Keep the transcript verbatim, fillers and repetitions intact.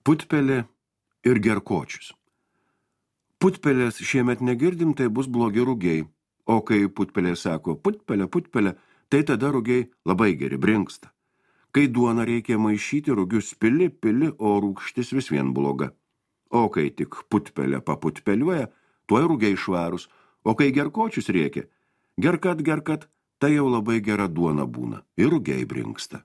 Putpelė ir gerkočius. Putpelės šiemet negirdim, tai bus blogi rugiai. O kai putpelė sako putpelė, putpelė, tai tada rugiai labai geri, brinksta. Kai duoną reikia maišyti, rugius pili, pili, o rūgštis vis vien bloga. O kai tik putpelė paputpeliuoja, tuoj rugiai švarus, o kai gerkočius reikia, gerkat, gerkat, tai jau labai gera duona būna ir rugiai brinksta.